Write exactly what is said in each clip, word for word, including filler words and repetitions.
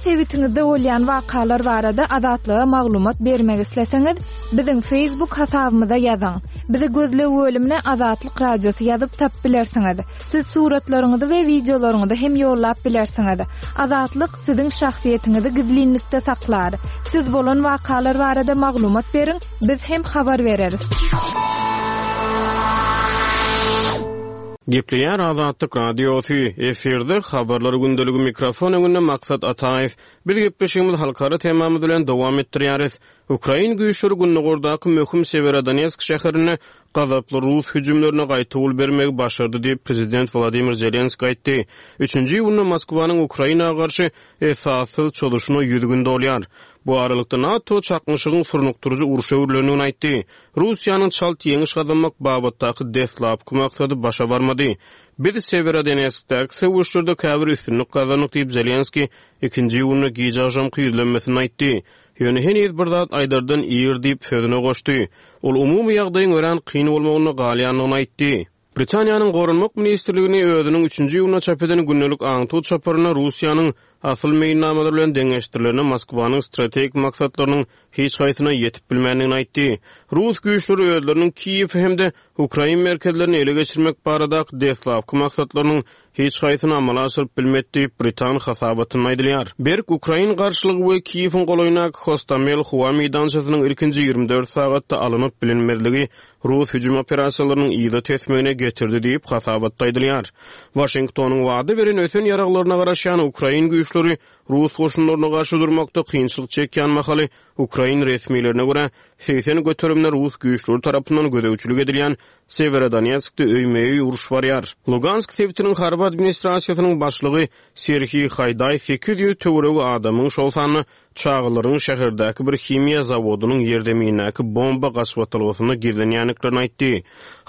Sebitiňizde bolýan wakalar barada Azatlyga maglumat bermek isleseňiz, biziň Facebook hasabymyza ýazyň. Bizi gözleg bölümine Azatlyk Radiosy ýazyp tapyp bilersiňiz. Siz suratlaryňyzy we wideolaryňyzy hem ýollap bilersiňiz. Azatlyk siziň şahsyýetiňizi gizlinlikde saklar. Siz bolan wakalar barada maglumat beriň, biz hem habar bereris. Gepleýär Azatlyk Radiosy, efirde habarlar gündeligi mikrofon öňünde Maksat Ataýew. Biz gepleşigimizi halkara temamyz bilen dowam etdirýäris. Ukrain güýçleri gündogardaky möhüm Sewerodonetsk şäherinde gazaply rus hüjümlerine gaýtawul bermegi başardy diýip, prezident Wladimir Zelenskiý aýtdy. Üçünji iýunda Moskwanyň Ukraina garşy esassyz çozuşyna ýüz gün dolýar. Bu aralykda NATO çaknyşygyň surnukdyryjy urşa öwrülendigini aýtdy. Russiýanyň çalt ýeňiş gazanmak babatdaky deslapky maksady başa barmady. Biz Sewerodonetskdäki söweşlerde käbir üstünlik gazandyk diýip, Zelenskiý ikinji iýunda gije agşamky ýüzlenmesinde aýtdy. Ýöne heniz bir zat aýdardan ir diýip sözüne goşdy. Ol umumy ýagdaýyň örän kyn bolmagynda galýandygyny aýtdy. Britaniýanyň Goranmak ministrligini özüniň üçünji iýunda çap eden gündelik aňtaw çaparynda Russiýanyň asyl meýilnamalary bilen deňeşdirilende Moskwanyň strategik maksatlarynyň hiç haýsyna ýetip bilmändigini aýtdy. Rus güýçleri özleriniň Kiýew hem-de ukrain merkezlerini ele geçirmek baradaky deslapky maksatlarynyň hiç haýsyny amala aşyryp bilmedi diýip, britan hasabatynda aýdylýar. Berk ukrain garşylygy we Kiýewiň golaýyndaky Hostomel howa meýdançasynyň ilkinji ýigrimi dört sagatda alynyp bilinmezligi rus hüjüm operasiýalarynyň yza tesmegine getirdi diýip, hasabatda aýdylýar. Waşingtonyň wada beren ösen ýaraglaryna garaşýan ukrain güýçleri rus goşunlaryna garşy durmakda kynçylyk çekýän mahaly ukrain resmilerine görä segsen göterimde rus güýçleri tarapyndan gözegçilik edilýän Sewerodonetskde öýme-öý uruş barýar. Lugansk sebitiniň harby administrasiýasynyň başlygy Serhiý Haýdaý sekiz ýüz töweregi adamyň, şol sanda çagalaryň şäherdäki bir himiýa zawodynyň ýerzemindäki bomba gaçybatalgasynda gizlenýändiklerini aýtdy.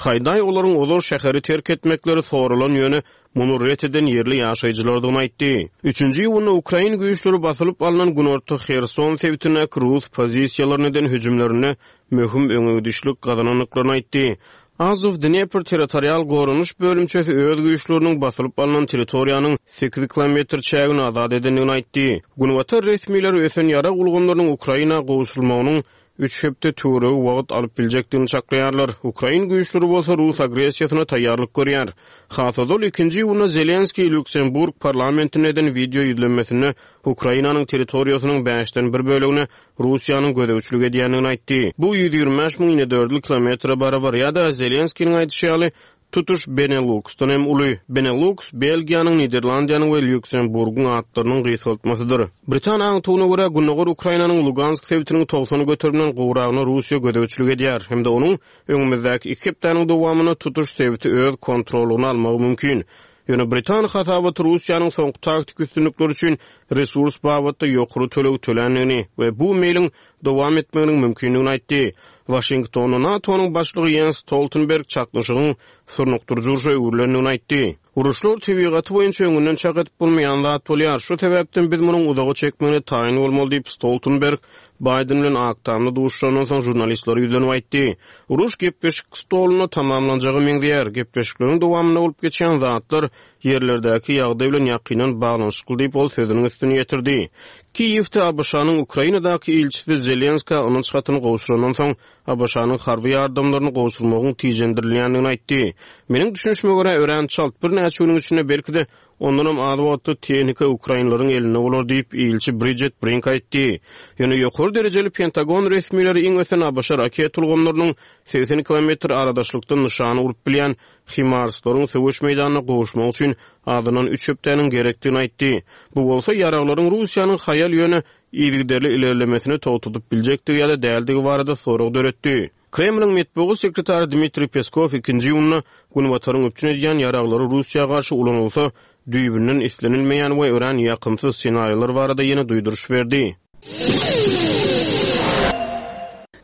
Haýdaý olaryň ozal şäheri terk etmekleri soralan, ýöne muny ret eden ýerli ýaşaýjylardygyny aýtdy. Üçünji iýunda ukrain güýçleri basylyp alnan günorta Herson sebitindäki rus pozisiýalaryna eden hüjümlerinde möhüm öňegidişlik gazanandyklaryny aýtdy. Azow Dnepr territorial goranyş bölümçesi öz güýçleriniň basylyp alnan territoriýanyň sekiz kilometr çägini azat edendigini aýtdy. Günbatar resmileri ösen ýarag ulgamlarynyň Ukraina gowşurylmagynyň üç hepde töweregi wagt alyp biljekdigini çaklaýarlar. Ukrain güýçleri bolsa rus agressiýasyna taýýarlyk görýär. Has ozal ikinji iýunda Zelenskiý Lýuksemburg parlamentinde eden wideo ýüzlenmesinde Ukrainanyň territoriýasynyň bäşden bir bölegine Russiýanyň gözegçilik edýändigini aýtdy. Bu ýüz ýigrimi bäş müň inedördül kilometre barabar ýa-da Zelenskiniň aýdyşy ýaly tutuş Beneluksdan hem uly. Beneluks Belgiýanyň, Niderlandiýanyň we Lýuksemburgyň atlarynyň gysgaltmasydyr. Britan aňtawyna görä Gündogar Ukrainanyň Lugansk sebitiniň togsan göterimden gowragyna Russiýa gözegçilik edýär hem-de onuň öňümizdäki iki hepdäniň dowamynda tutuş sebiti öz kontrolyna almagy mümkin. Ýöne Britan hasabaty Russiýanyň soňky taktik üstünlikleri üçin resurs babatda ýokary töleg töländigini we bu meýliň dowam etmeginiň mümkindigini aýtdy. Waşingtonda NATO-nyň başlygy Jens Stoltenberg çaknyşygyň surnukdyryjy urşa öwrülendigini aýtdy. Uruşlar tebigaty boýunça öňünden çak edip bolmaýan zat bolýar. Şu sebäpden biz munuň uzaga çekmegine taýyn bolmaly diýip Stoltenberg Biden bilen Ak Tamda duşuşandan soň žurnalistlere ýüzlenip aýtdy. Uruş gepleşik stolunda tamamlanjagy meňzeýär. Gepleşikleriň dowamynda bolup geçýän zatlar ýerlerdäki ýagdaý bilen ýakyndan baglanyşykly diýip ol sözüniň üstüni ýetirdi. Kiýewde ABŞ-nyň Ukrainadaky ilçisi Zelenska ynanç hatyny gowşurandan soň ABŞ-nyň harby ýardamlaryny gowşurmagyň tijendirilýändigini aýtdy. Meniň düşünişime görä örän çalt birnäçe günüň içinde belki-de ondanam az wagtda tehnika ukrainlaryň elinde bolar diýip ilçi Bridget Brink aýtdy. Ýöne ýokary derejeli Pentagon resmileri iň ösen ABŞ raket ulgamlarynyň segsen kilometr aradaşlykdan nyşany urup bilýän HIMARS-laryň söweş meýdanyna gowuşmak üçin azyndan üç hepdäniň gerekdigini aýtdy. Bu bolsa ýaraglaryň Russiýanyň haýal ýöne yzygiderli ilerlemesini togtadyp biljekdigi ýa-da däldigi barada sorag döretdi. Kremliň metbugat sekretary Dmitriý Peskow ikinji iýunda Günbataryň üpjün edýän ýaraglary Russiýa garşy ulanylsa, düýbünden islenilmeýän we örän ýakymsyz ssenariýalar barada ýene duýduryş berdi.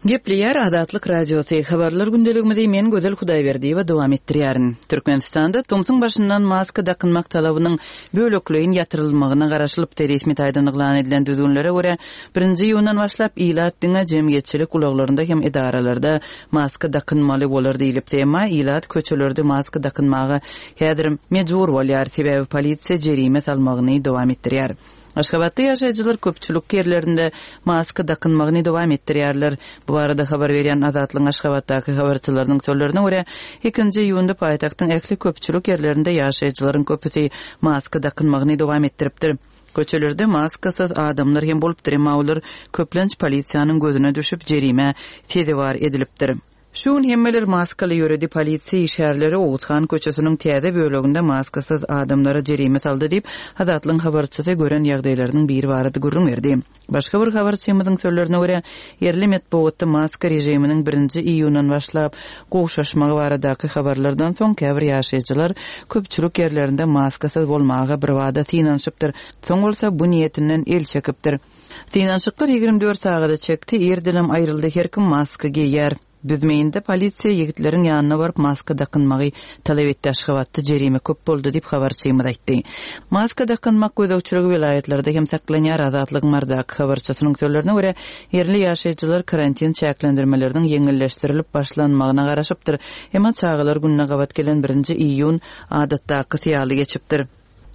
Gepleýär Azatlyk Radiosy. Habarlar gündeligimizi men Gözel Hudaýberdiýewa dowam etdirýärin. Türkmenistanda tomsuň başyndan maska dakynmak talabynyň bölekleýin ýatyrylmagyna garaşylypdy. Resmi taýdan yglan edilen düzgünlere görä birinji iýundan başlap ilat diňe jemgyýetçilik ulaglarynda hem edaralarda maska dakynmaly bolar diýilipdi. Emma ilat köçelerde maska dakynmaga häzir mejbur bolýar. Sebäbi polisiýa jerime salmagyny dowam etdirýär. Aşgabatda ýaşaýjylar köpçülik ýerlerinde maska dakynmagyny dowam etdirýärler. Bu barada habar berýän Azatlygyň Aşgabatdaky habarçylarynyň sözlerine görä, ikinji iýunda paýtagtyň ähli köpçülik ýerlerinde ýaşaýjylaryň köpüsi maska dakynmagyny dowam etdiripdir. Köçelerde maskasyz adamlar hem bolupdyr, emma olar köplenç polisiýanyň gözüne düşüp jerime sezewar edilipdir. Şu gün hemmeler maskaly ýöredi, polisiýa işgärleri Oguzhan köçesiniň täze böleginde maskasyz adamlara jerime saldy diýip, Azatlygyň habarçysy gören ýagdaýlarynyň biri barada gürrüň berdi. Başga bir habarçymyzyň sözlerine görä, ýerli metbugatda maska režiminiň birinji iýundan başlap gowşaşmagy baradaky habarlardan soň käbir ýaşaýjylar köpçülik ýerlerinde maskasyz bolmaga birbada synanyşypdyr, soň bolsa bu niýetinden el çekipdir. Synanyşyklar ýigrimi dört sagada çekdi, irdenem aýryldy, her kim maska geýýär. Büzmeýinde polisiýa ýigitleriň ýanyna baryp maska dakynmagy talap etdi, Aşgabatda jerime köp boldy diýip habarçymyz aýtdy. Maska dakynmak gözegçiligi welaýatlarda hem saklanýar, Azatlygyň Marydaky habarçysynyň sözlerine görä, ýerli ýaşaýjylar karantin çäklendirmeleriniň ýeňilleşdirilip başlanmagyna garaşypdyr, emma çagalar gününe gabat gelen birinji iýun adatdakysy ýaly geçipdir.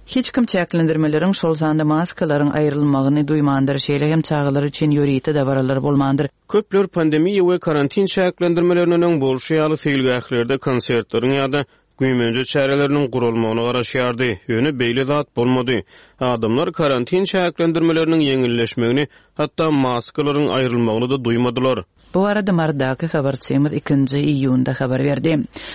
Hiç kim çäklendirmeleriň, şol sanda maskalaryň aýrylmagyny duýmandyr, şeýle hem çagalar üçin ýörite dabaralar bolmandyr. Köpler pandemiýa we karantin çäklendirmelerinden öň bolşy ýaly seýilgählerde konsertleriň ýa-da güýmenje çäreleriniň guralmagyna garaşýardy. Ýöne beýle zat bolmady. Adamlar karantin çäklendirmeleriniň ýeňilleşmegini, hatda maskalaryň aýrylmagyny-da duýmadylar. Bu barada Marydaky habarçymyz ikinji iýunda habar berdi.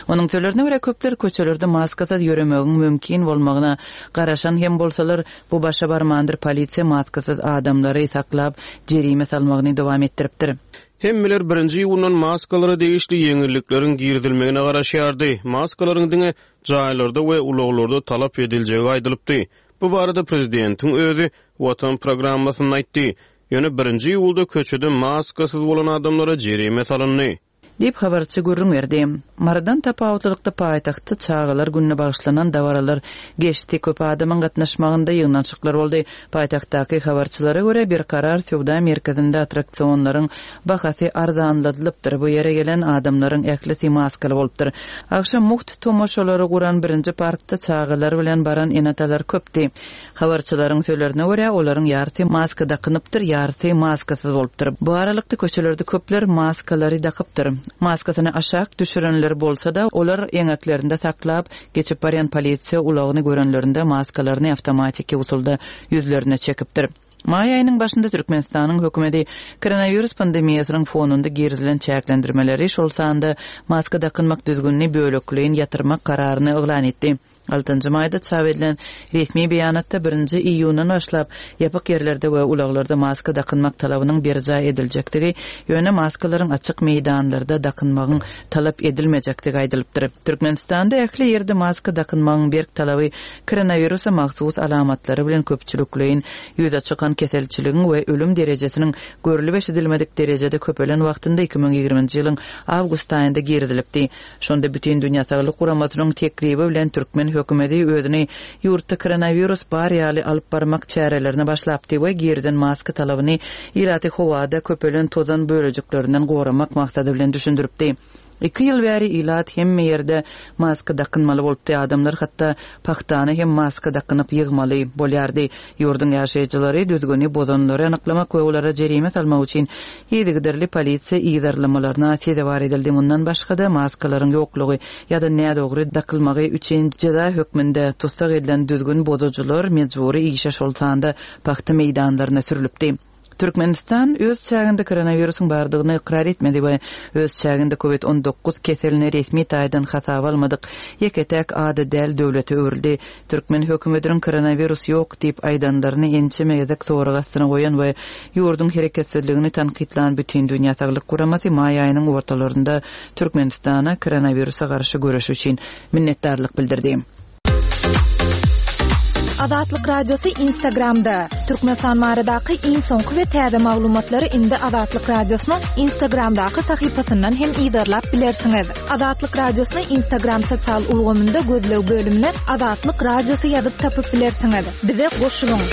Onuň sözlerine görä, köpler köçelerde maskasyz ýöremegiň mümkin bolmagyna garaşan hem bolsalar, bu başa barmandyr, polisiýa maskasyz adamlary saklap, jerime salmagyny dowam etdiripdir. Hemmeler birinji iýundan maskalara degişli ýeňillikleriň girizilmegine garaşýardy. Maskalaryň diňe jaýlarda we ulaglarda talap ediljegi aýdylypdy. Bu barada prezidentiň özi Watan programmasynda aýtdy. Ýöne birinji iýulda köçede maskasyz bolan adamlara jerime salyndy. Diýip, habarçy gürrüň berdi. Marydan tapawutlylykda paýtagtda çagalar gününe bagyşlanan dabaralar geçdi, köp adamyň gatnaşmagynda ýygnanyşyklar boldy. Paýtagtdaky habarçylara görä, Berkarar söwda merkezinde attraksionlaryň bahasy arzanladylypdyr. Bu ýere gelen adamlaryň ählisi maskaly bolupdyr. Agşam mugt tomaşalary guran birinji parkda çagalar bilen baran ene-atalar köpdi. Habarçylaryň sözlerine görä, olaryň ýarysy maska dakynypdyr, ýarysy maskasyz bolupdyr. Bu aralykda köçelerde köpler maskalary dakypdyr. Maskasyny aşak düşürenler bolsa-da, olar eňeklerinde saklap, geçip barýan polisiýa ulagyny görenlerinde maskalaryny awtomatiki usulda ýüzlerine çekipdir. Maý aýynyň başynda Türkmenistanyň hökümeti koronawirus pandemiýasynyň fonunda girizilen çäklendirmeleri, şol sanda maska dakynmak düzgünini bölekleýin ýatyrmak kararyny yglan etdi. Altynjy maýda çap edilen resmi beýanatda birinji iýundan başlap ýapyk ýerlerde we ulaglarda maska dakynmak talabynyň berjaý ediljekdigi, ýöne maskalaryň açyk meýdanlarda dakynmagyň talap edilmejekdigi aýdylypdyr. Türkmenistanda ähli ýerde maska dakynmagyň berk talaby koronawirusa mahsus alamatlary bilen köpçülikleýin ýüze çykan keselçiligiň we ölüm derejesiniň görlüp eşidilmedik derejede köpelen wagtynda iki müň ýigriminji ýylyň awgust aýynda girizilipdi. Şonda Bütindünýä Saglyk Guramasynyň teklibi bilen türkmen hökümeti özüni ýurtda koronawirus bar ýaly alyp barmak çärelerine başlapdy we girizen maska talabyny ilaty howada köpelen tozan bölejiklerinden goramak maksady bilen düşündiripdi. Iki ýyl bäri ilat hemme ýerde maska dakynmaly bolupdy, adamlar hatda pahtany hem maska dakynyp ýygmaly bolýardy. Ýurduň ýaşaýjylary düzgüni bozanlary anyklamak we olara jerime salmak üçin yzygiderli polisiýa yzarlamalaryna sezewar edildi. Mundan başga-da maskalaryň ýoklugy ýa-da nädogry dakylmagy üçin jeza hökmünde tussag edilen düzgün bozujylar mejbury işe, şol sanda pagta meýdanlaryna sürülipdi. Türkmenistan öz çäginde koronawirusyň bardygyny ykrar etmedi we öz çäginde covid on dokuz keselini resmi taýdan hasaba almadyk ýeke-täk ady däl döwlete öwrüldi. Türkmen hökümetiniň koronawirus ýok diýip aýdanlaryny ençeme gezek sorag astyna goýan we ýurduň hereketsizligini tankytlan Bütindünýä Saglyk Guramasy maý aýynyň ortalarynda Türkmenistana koronawirusa garşy göreş üçin minnetdarlyk bildirdi. Azatlyk Radiosy Instagramda. Türkmenistan baradaky iň soňky we täze maglumatlary indi Azatlyk Radiosynyň Instagramdaky sahypasyndan hem yzarlap bilersiňiz. Azatlyk Radiosyny Instagram sosial ulgamynda gözleg bölümine Azatlyk Radiosy ýazyp tapyp bilersiňiz. Bize goşulyň.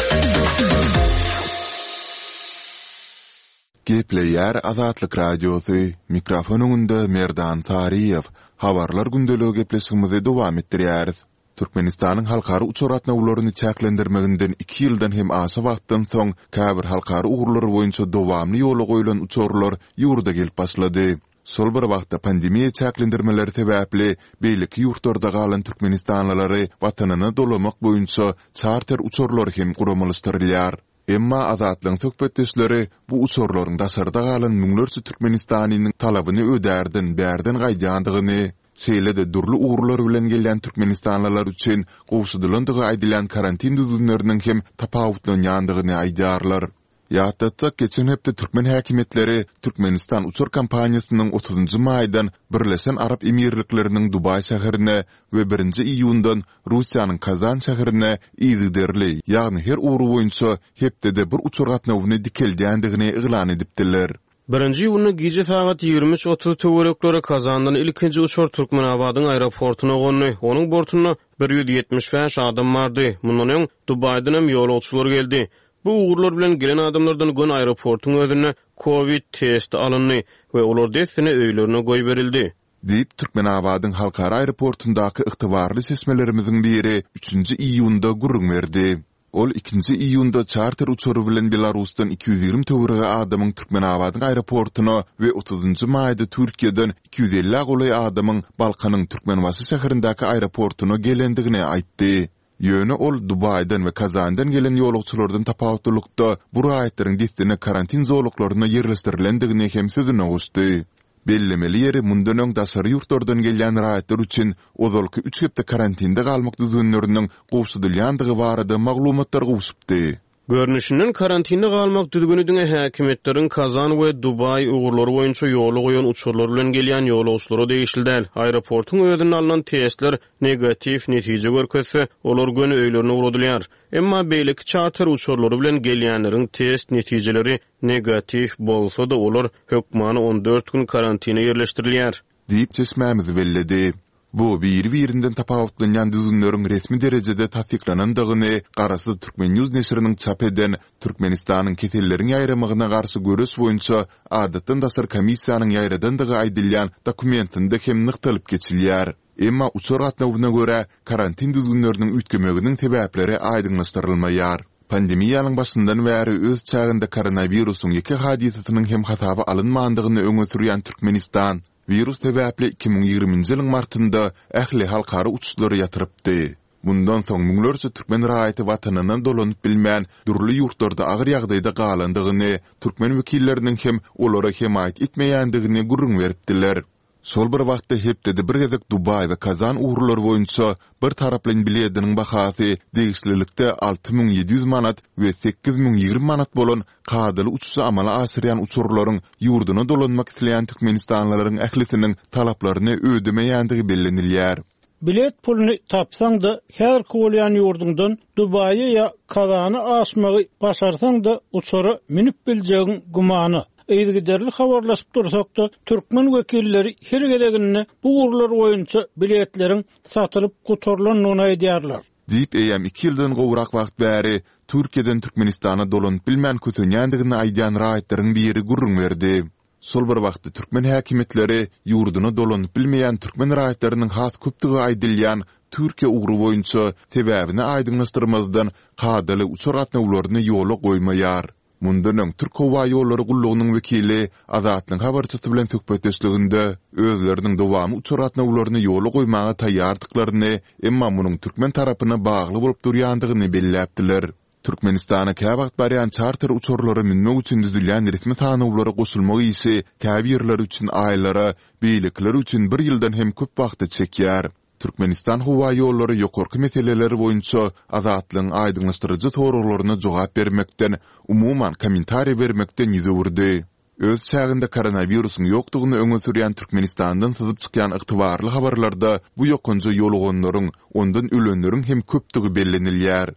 Gepleýär Azatlyk Radiosy. Mikrofon öňünde Merdan Saryýew. Habarlar gündeligi gepleşigimizi dowam etdirýäris. Türkmenistanyň halkara uçar gatnawlaryny çäklendirmeginden iki ýyldan hem aşa wagtdan soň, käbir halkara ugurlary boýunça dowamly ýola goýlan uçarlar ýurda gelip başlady. Şol bir wagtda, pandemiýa çäklendirmeleri sebäpli beýleki ýurtlarda galan türkmenistanlylary watanyna dolamak boýunça çarter uçarlary hem guramalaşdyrylýar. Emma Azatlygyň söhbetdeşleri bu uçarlaryň daşarda galan müňlerçe türkmenistanynyň talabyny ödärden bärden gaýdýandygyny, şeýle-de dürli ugurlar bilen gelýän türkmenistanlylar üçin gowşadylandygy aýdylýan karantin düzgünleriniň hem tapawutlanýandygyny aýdýarlar. Ýatlatsak, geçen hepde türkmen häkimiýetleri Türkmenistan uçar kompaniýasynyň otuzynjy maýdan Birleşen Arap Emirlikleriniň Dubaý şäherine we birinji iýundan Russiýanyň Kazan şäherine yzygiderli, ýagny her ugur boýunça hepdede bir uçar gatnawyny dikeldýändigini yglan edipdiler. Birinji iýunda gije sagat ýigrimi üç otuz töwerekleri Kazandan ilkinji uçar Türkmenabadyň aeroportuna gondy. Onuň bortunda bir ýüz ýetmiş bäş adam bardy. Mundan öň Dubaýdan hem ýolagçylar geldi. Bu ugurlar bilen gelen adamlardan göni aeroportuň özünde kowid testi alyndy we olar dessine öýlerine goýberildi. Diýip, Türkmenabadyň halkara aeroportundaky ygtybarly çeşmelerimiziň biri üçünji iýunda gürrüň berdi. Ol ikinji iýunda çarter uçary bilen Belarusdan iki ýüz ýigrimi töweregi adamyň Türkmenabadyň aeroportuna we otuzynjy maýda Türkiýeden iki ýüz ellä golaý adamyň Balkanyň Türkmenbaşy şäherindäki aeroportuna gelendigini aýtdy. Ýöne ol Dubaýdan we Kazandan gelen ýolagçylardan tapawutlylykda bu raýatlaryň dessine karantin zolaklaryna ýerleşdirilendigini hem sözüne goşdy. Bellemeli ýeri, mundan öň daşary ýurtlardan gelýän raýatlar üçin ozalky üç hepde karantinde galmak düzgünleriniň gowşadylýandygy barada maglumatlar gowşupdy. Görnüşinden, karantinde galmak düzgüni diňe häkimiýetleriň Kazan we Dubaý ugurlary boýunça ýola goýan uçarlar bilen gelýän ýolagçylara degişli däl. Aeroportuň özünde alnan testler negatiw netije görkezse, olar göni öýlerine ugradylýar. Emma beýleki çarter uçarlary bilen gelýänleriň test netijeleri negatiw bolsa-da, olar hökmany on dört gün karantine ýerleşdirilýär. Diýip, çeşmämiz belledi. Bu biri-birinden tapawutlanýan düzgünleriň resmi derejede tassyklanandygyny garaşsyz Turkmen. News neşiriniň çap eden Türkmenistanyň keselleriň ýaýramagyna garşy göreş boýunça adatdan daşary komissiýanyň ýaýradandygy aýdylýan dokumentinde hem nygtalyp geçilýär. Emma uçar gatnawyna görä karantin düzgünleriniň üýtgemeginiň sebäpleri aýdyňlaşdyrylmaýar. Pandemiýanyň başyndan bäri öz çäginde koronawirusyň ýeke hadysasynyň hem hasaba alynmandygyny öňe sürýän Türkmenistan wirus sebäpli iki müň ýigriminji ýylyň martynda ähli halkara uçuşlary ýatyrypdy. Mundan soň müňlerçe türkmen raýaty watanyna dolanyp bilmän, dürli ýurtlarda agyr ýagdaýda galandygyny, türkmen wekilleriniň hem olara hemaýat etmeýändigini gürrüň beripdiler. Şol bir wagtda hepdede bir gezek Dubaý we Kazan ugurlary boýunça bir taraplaýyn bilediniň bahasy degişlilikde alty müň ýedi ýüz manat we sekiz müň ýigrimi manat bolan kadaly uçuşy amala aşyrýan uçarlaryň ýurduna dolanmak isleýän türkmenistanlylaryň ählisiniň talaplaryny ödemeýändigi bellenilýär. Bilet puluny tapsaň-da, häzirki bolýan ýurduňdan Dubaýa ýa Kazana aşmagy başarsaň-da, uçara münüp biljegiň gümana. Yzygiderli habarlaşyp dursak-da, türkmen wekilleri her gezeginde bu ugurlar boýunça biletleriň satylyp gutarylandygyny aýdýarlar. Diýip, eýýäm iki ýyldan gowrak wagt bäri Türkiýeden Türkmenistana dolanyp bilmän kösenýändigini aýdýan raýatlaryň biri gürrüň berdi. Şol bir wagtda türkmen häkimiýetleri ýurduna dolanyp bilmeýän türkmen raýatlarynyň has köpdügi aýdylýan Türkiýe ugry boýunça sebäbini aýdyňlaşdyrmazdan kadaly uçar gatnawlaryny ýola goýmaýar. Mundan öň Türk howa ýollary gullugynyň wekili Azatlygyň habarçysy bilen söhbetdeşliginde özleriniň dowamly uçar gatnawlaryny ýola goýmaga taýýardyklaryny, emma munuň türkmen tarapyna bagly bolup durýandygyny belläpdiler. Türkmenistana käwagt barýan çarter uçarlara münmek üçin düzülýän resmi sanawlara goşulmak işi käbirleri üçin aýlara, beýlekileri üçin bir ýyldan hem köp wagta çekýär. Türkmenistan howa ýollary ýokarky meseleler boýunça Azatlygyň aýdyňlaşdyryjy soraglaryna jogap bermekden, umuman, kommentariý bermekden ýüz öwürdi. Öz çäginde koronawirusyň ýokdugyny öňe sürýän Türkmenistandan syzyp çykýan ygtybarly habarlarda bu ýokanja ýoluganlaryň, ondan ölenleriň hem köpdügi bellenilýär.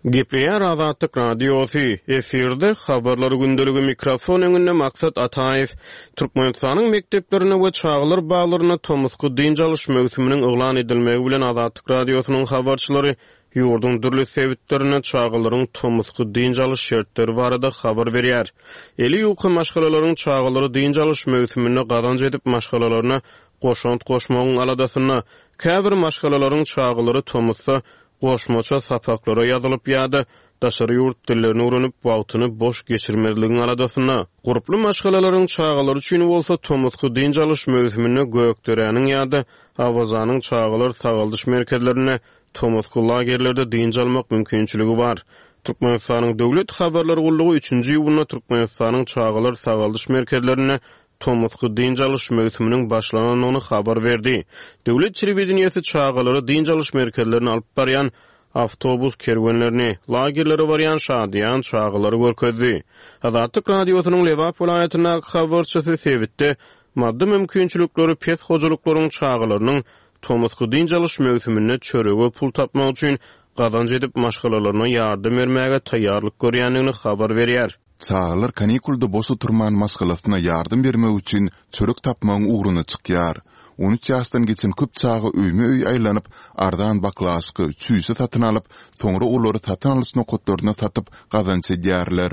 Gepleýär Azatlyk Radiosy, efirde Habarlar gündeligi, mikrofon öňünde Maksat Ataýew. Türkmenistanyň mekdeplerinde we çagalar baglarynda tomusky dynç alyş möwsüminiň yglan edilmegi bilen Azatlyk Radiosynyň habarçylary ýurduň dürli sebitlerinde çagalaryň tomusky dynç alyş şertleri barada habar berýär. Eli ýuka maşgalalaryň çagalary dynç alyş möwsüminde gazanç edip maşgalalaryna goşant goşmagyň aladasynda. Käbir maşgalalaryň çagalary tomusda goşmaça sapaklara ýazylyp ýa-da daşary ýurt dillerini öwrenip, wagtyny boş geçirmezligiň aladasynda. Gurply maşgalalaryň çagalary üçin bolsa tomusky dynç alyş möwsüminde Gökderäniň ýa-da Awazanyň çagalar sagaldyş merkezlerinde tomusky lagerlerde dynç almak mümkinçiligi bar. Türkmenistanyň Döwlet habarlar gullugy üçünji iýunda Türkmenistanyň çagalar sagaldyş merkezlerinde tomusky dynç alyş möwsüminiň başlanandygyny habar berdi. Döwlet telewideniýesi çagalary dynç alyş merkezlerine alyp barýan awtobus kerwenlerini, lagerlere barýan şadyýan çagalary görkezdi. Azatlyk Radiosynyň Lebap welaýatyndaky habarçysy sebitde maddy mümkinçilikleri pes hojalyklaryň çagalarynyň tomusky dynç alyş möwsüminde çörege pul tapmak üçin gazanç edip maşgalalaryna ýardam bermäge taýýarlyk görýändigini habar berýär. Çagalar kanikulda boş oturman maşgalasyna ýardam bermek üçin çörek tapmagyň ugruna çykýar. On üç ýaşdan geçen köp çaga öýme-öý aýlanyp, arzan baklaşka, çüýşe satyn alyp, soňra olary satyn alyş nokatlaryna satyp gazanç edýärler.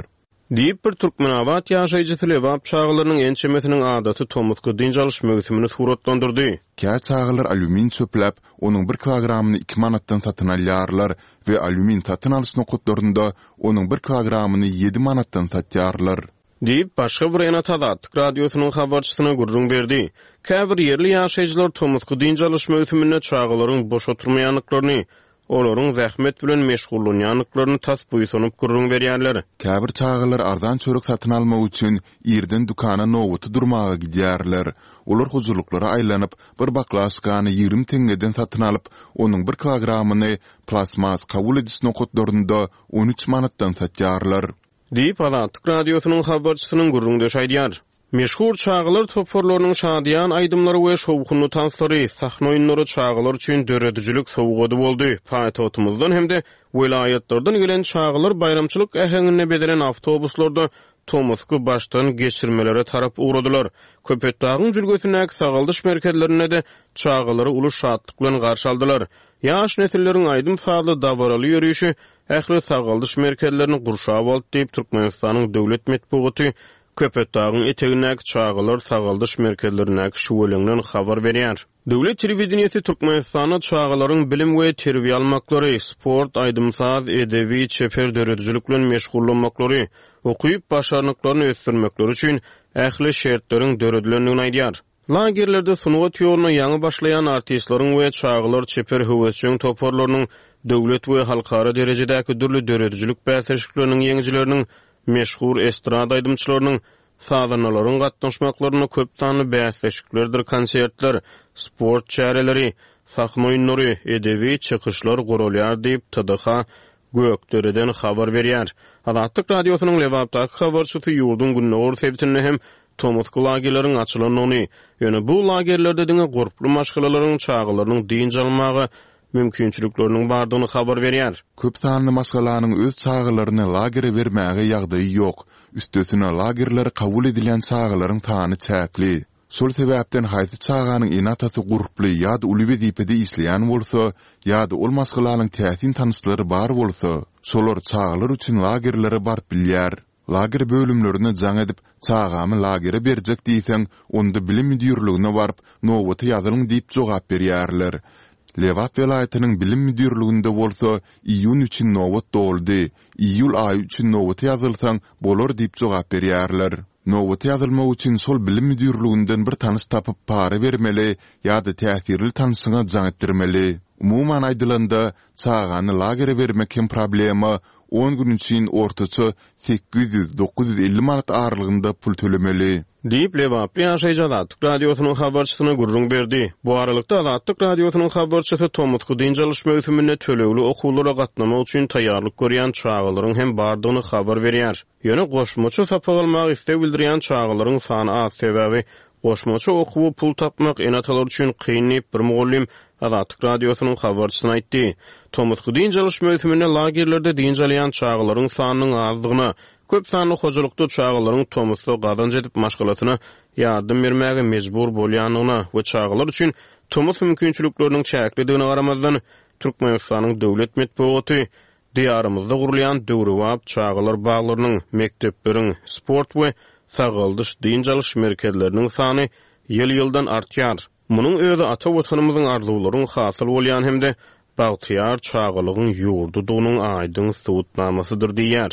Diýip, bir Türkmenabat ýaşaýjysy Lebap çagalarynyň ençemesiniň adaty tomusky dynç alyş möwsümini suratlandyrdy. Kä çagalar alýumin çöpläp, onuň bir kilogramyny iki manatdan satyn alýarlar we alýumin satyn alyş nokatlarynda onuň bir kilogramyny ýedi manatdan satýarlar. Diýip, başga bir ene-ata Azatlyk Radiosynyň habarçysyna gürrüň berdi. Käbir ýerli ýaşaýjylar tomusky dynç alyş möwsüminde çagalaryň boş oturmaýandyklaryny, olaryň zähmet bilen meşgullanýandyklaryny tas buýsanyp gürrüň berýärler. Käbir çagalar arzan çörek satyn almak üçin irden dükana nobata durmaga gidýärler. Olar hojalyklara aýlanyp, bir baklaşkany ýigrimi teňňeden satyn alyp, onuň bir kilogramyny plastmas kabul ediş nokatlarynda on üç manatdan satýarlar. Diýip, Azatlyk Radiosynyň habarçysynyň gürrüňdeşi aýdýar. Meşhur çagalar toparlarynyň şadyýan aýdymlary we şowhunly tanslary, sahna oýunlary çagalar üçin döredijilik sowgady boldy. Paýtagtymyzdan hem-de welaýatlardan gelen çagalar baýramçylyk äheňinde bezelen awtobuslarda tomusky başdan geçirmelere tarap ugradylar. Köpetdagyň jülgesindäki sagaldyş merkezlerinde-de çagalary uly şatlyk bilen garşy aldylar. Ýaş nesilleriň aýdym-sazly dabaraly ýörişi ähli sagaldyş merkezlerini gurşap aldy diýip, Türkmenistanyň döwlet metbugaty Köpetdagyň etegindäki çagalar sagaldyş merkezlerindäki şüweleňden habar berýär. Döwlet telewideniýesi Türkmenistanda çagalaryň bilim we terbiýe almaklary, sport, aýdym-saz, edebi, çeper döredijilik bilen meşgullanmaklary, okyp başarnyklaryny ösdürmekleri üçin ähli şertleriň döredilendigini aýdýar. Lagerlerde sungat ýoluna ýaňy başlaýan artistleriň we çagalar çeper höwesjeň toparlarynyň döwlet we halkara derejedäki dürli döredijilik bäsleşikleriniň ýeňijileriniň, meşhur estrada aýdymçylarynyň, sazandalaryň gatnaşmaklarynda köp sanly bäsleşiklerdir konsertler, sport çäreleri, sahna oýunlary, edebi çykyşlar guralýar diýip, T D H Gökdereden habar berýär. Azatlyk Radiosynyň Lebapdaky habarçysy ýurduň gündogar sebitinde hem tomusky lagerleriň açylandygyny, ýöne bu lagerlerde diňe gurply maşgalalaryň çagalarynyň dynç almaga mümkinçilikleriniň bardygyny habar berýär. Köp sanly maşgalanyň öz çagalaryny lagere bermäge ýagdaýy ýok. Üstesine lagerlere kabul edilýän çagalaryň sany çäkli. Şol sebäpden haýsy çaganyň ene-atasy gurply ýa-da uly wezipede işleýän bolsa, ýa-da ol maşgalanyň täsin tanyşlary bar bolsa, şolar çagalar üçin lagerlere baryp bilýär. Lager bölümlerine jaň edip, çagamy lagere berjek diýseň, onda bilim müdirligine baryp, nobata ýazylyň diýip jogap berýärler. Lebap welaýatynyň bilim müdirliginde bolsa, iýun üçin nobat doldy, iýul aýy üçin nobata ýazylsaň bolar diýip jogap berýärler. Nobata ýazylmak üçin şol bilim müdirliginden bir tanyş tapyp para bermeli ýa-da täsirli tanyşyňa jaň etdirmeli. Umuman aýdylanda, çagany lagere bermek hem problema, on gün üçin ortaça sekiz ýüz, dokuz ýüz elli manat aralygynda pul tölemeli. Diýip, Lebaply ýaşaýjy Azatlyk Radiosynyň habarçysyna gürrüň berdi. Bu aralykda Azatlyk Radiosynyň habarçysy tomusky dynç alyş möwsüminde tölegli okuwlara gatnamak üçin taýýarlyk görýän çagalaryň hem bardygyny habar berýär. Ýöne goşmaça sapak almaga isleg bildirýän çagalaryň sany az, sebäbi goşmaça okuwa pul tapmak ene-atalar üçin kyn diýip, bir mugallym Azatlyk Radiosynyň habarçysyna aýtdy. Tomusky dynç alyş möwsüminde lagerlerde dynç alýan çagalaryň sanynyň azdygyna, köp sanly hojalykda çagalaryň tomusda gazanç edip maşgalasyna ýardam bermäge mejbur bolýandygyna we çagalar üçin tomus mümkinçilikleriniň çäklidigine garamazdan, Türkmenistanyň döwlet metbugaty Diýarymyzda gurulýan döwrebap çagalar baglarynyň, mekdepleriň, sport we sagaldyş dynç alyş merkezleriniň sany ýyl-ýyldan artýar. Munuň özi ata Watanymyzyň arzuwlaryň hasyl bolýan hem-de bagtyýar çagalygyň ýurdudygynyň aýdyň subutnamasydyr diýýär.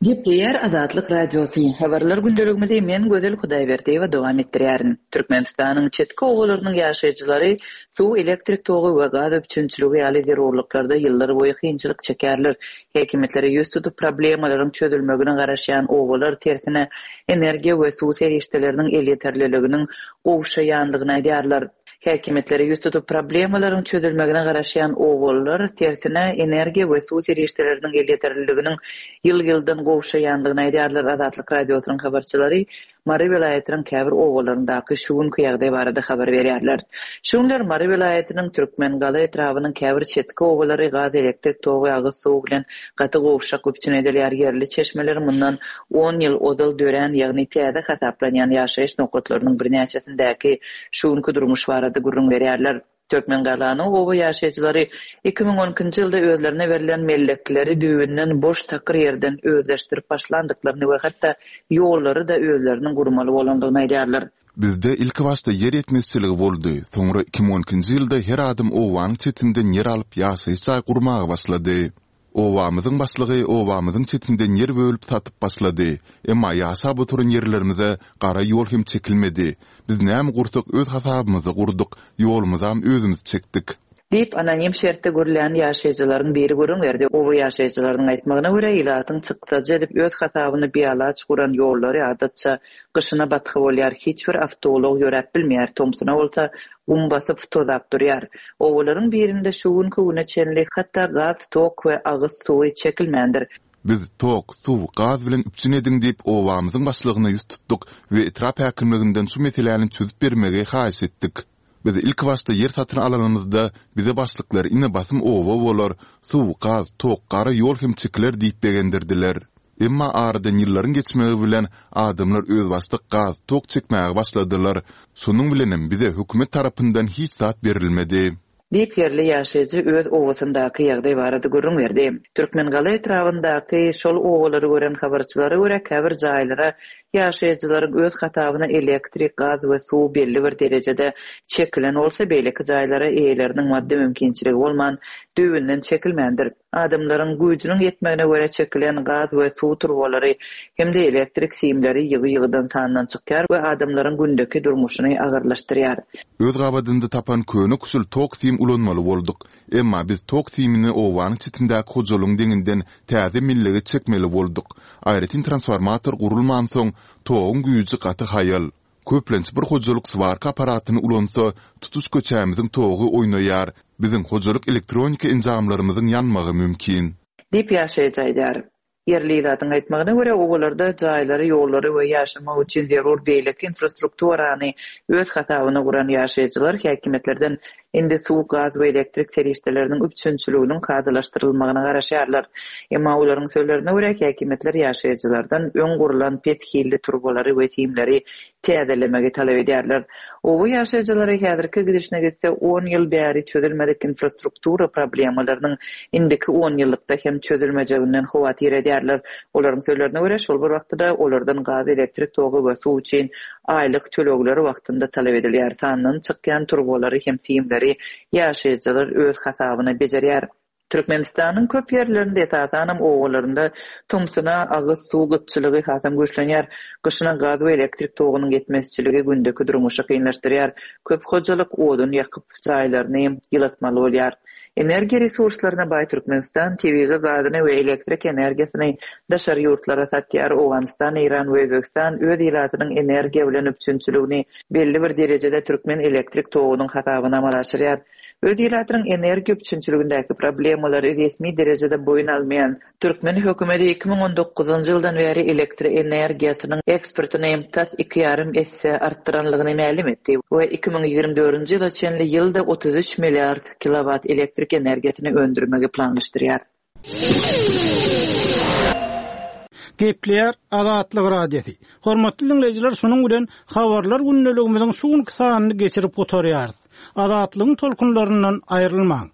Gepleýär Azatlyk Radiosy. Habarlar gündeligimizi men Gözel Hudaýberdiýewa dowam etdirýärin. Türkmenistanyň çetki obalarynyň ýaşaýjylary suw, elektrik togy we gaz üpjünçiligi ýaly zerurlyklarda ýyllar boýy kynçylyk çekerler. Häkimiýetlere ýüz tutup problemalaryň çözülmegine garaşýan obalar tersine energiýa we suw serişdeleriniň elýeterliliginiň gowşaýandygyny aýdýarlar. Häkimiýetlere ýüz tutup problemalaryň çözülmegine garaşýan obalar tersine energiýa we suw serişdeleriniň elýeterliliginiň ýyl-ýyldan gowşaýandygyny aýdýarlar. Azatlyk Radiosynyň habarçylary Mary welaýatynyň käbir obalaryndaky şu günki ýagdaý barada habar berýärler. Şu günler Mary welaýatynyň Türkmengala etrabynyň käbir çetki obalary gaz, elektrik togy, agyz suwy bilen gaty gowşak üpjün edilýär. Ýerli çeşmeler mundan on ýyl ozal dörän, ýagny täze hasaplanýan ýaşaýyş nokatlarynyň birnäçesindäki şu günki durmuş barada gürrüň berýärler. Türkmengalanyň oba ýaşaýjylary iki müň on ikinji ýylda özlerine berlen mellekleri düýbünden boş takyr ýerden özleşdirip başlandyklaryny we hatda ýollary da özleriniň gurmaly bolandygyny aýdýarlar. Bizde ilki başda ýer ýetmezçiligi boldy. Soňra iki müň on ikinji ýylda her adam obanyň çetinden ýer alyp ýaşaýyş jaý gurmaga başlady. Obamyzyň başlygy obamyzyň çetinden ýer bölüp satyp başlady. Emma ýaşap oturan ýerlerimize gara ýol hem çekilmedi. Biz näme gursak öz hasabymyzy gurduk, ýolumyzam özümiz çekdik. Diýip anonim şertde görülen ýaşaýjylaryň biri gürrüň berdi. Oba ýaşaýjylarynyň aýtmagyna görä, ilatyň çykdajy edip öz hasabyny bialaç guran ýollary adatça gyşyna batga bolýar, hiç bir awtoulag ýöräp bilmeýär, tomsuna bolsa gum basyp tozap durýar. Obalaryň birinde şu günki güne çenli hatda gaz, tok we agyz suwy çekilmändir. Biz tok, suw, gaz bilen üpjün ediň diýip obamyzyň başlygyna ýüz tutduk we etrap häkimliginden şu meseläni çözüp bermegi haýyş etdik. Biz ilk başda ýer satyn alanymyzda bize başlyklar ine basym oba bolar, suw, gaz, tok, gara ýol hem çekiler diýip begendirdiler. Emma aradan ýyllaryň geçmegi bilen adamlar özbaşdak gaz, tok çekmäge başladylar. Şonuň bilenem bize hökümet tarapyndan hiç zat berilmedi. Diýip ýerli ýaşaýjy öz obasyndaky ýagdaý barada gürrüň berdi. Türkmengala etrabyndaky şol obalary gören habarçylara görä käbir jaýlara ýaşaýjylaryň öz hasabyna elektrik, gaz we suw belli bir derejede çekilen bolsa, beýleki jaýlara eýeleriniň maddy mümkinçiligi bolman düýbünden çekilmändir. Adamlaryň güýjüniň ýetmegine görä çekilen gaz we suw turbalary hem-de elektrik simleri ýygy-ýygydan sandan çykýar we adamlaryň gündeki durmuşyny agyrlaşdyrýar. Öz gabadynda tapan köne küsül tok sim ulanmaly bolduk. Emma biz tok simini obanyň çetindäki hojalygyň deňinden täze millege çekmeli bolduk. Aýratyn transformator gurulmansoň toguň güýji gaty haýal. Köplenç bir hojalyk swarka aparatyny ulansa, tutuş köçämiziň togy oýnaýar. Biziň hojalyk elektronika enjamlarymyzyň ýanmagy mümkin. Diýip ýaşaýjy aýdýar. Ýerli ilatyň aýtmagyna görä, obalarda jaýlary, ýollary we ýaşamak üçin zerur beýleki infrastrukturany öz hasabyna guran ýaşaýjylar häkimiýetlerden indi suw, gaz we elektrik serişdeleriniň üpjünçiliginiň kadalaşdyrylmagyna garaşýarlar. Emma olaryň sözlerine görä, häkimiýetler ýaşaýjylardan öň gurulan pes hilli turbalary we simleri täzelemegi talap edýärler. Oba ýaşaýjylary häzirki gidişine gitse on ýyl bäri çözülmedik infrastruktura problemalarynyň indiki on ýyllykda hem çözülmejeginden howatyr edýärler. Olaryň sözlerine görä, şol bir wagtda olardan gaz, elektrik togy we suw üçin aýlyk tölegleri wagtynda talap edilýär. Sandan çykýan turbalary hem simleri ýaşaýjylar öz hasabyna bejerýär. Türkmenistanyň köp ýerlerinde, esasanam obalarynda tomsuna agyz suw gytçylygy hasam güýçlenýär. Gyşyna gaz we elektrik togunyň ýetmezçiligi gündeki durmuşy kynlaşdyrýar. Köp hojalyk odun ýakyp jaýlaryny ýylatmaly bolýar. Energiýa resurslaryna baý Türkmenistan tebigy gazyny we elektrik energiýasyny daşary ýurtlara satýar. Owganystan, Eýran we Özbegistan öz ilatynyň energiýa bilen üpjünçiligini belli bir derejede türkmen elektrik togunyň hasabyna amala aşyrýar. Öz ilatynyň energiýa üpjünçiligindäki problemalary resmi derejede boýun almaýan türkmen hökümeti iki müň on dokuzynjy ýyldan bäri elektroenergiýasynyň eksportyny tas iki ýarym esse artdyranlygyny mälim etdi we iki müň ýigrimi dördünji ýyla çenli ýylda otuz üç milliard kilowat elektrik energiýasyny öndürmegi planlaşdyrýar. Gepleýär Azatlyk Radiosy. Hormatly dinleýjiler, şunuň bilen habarlar gündeligimiziň şu günki sanyny geçirip gutarýarys. Azatlygyň tolkunlaryndan aýrylmaň.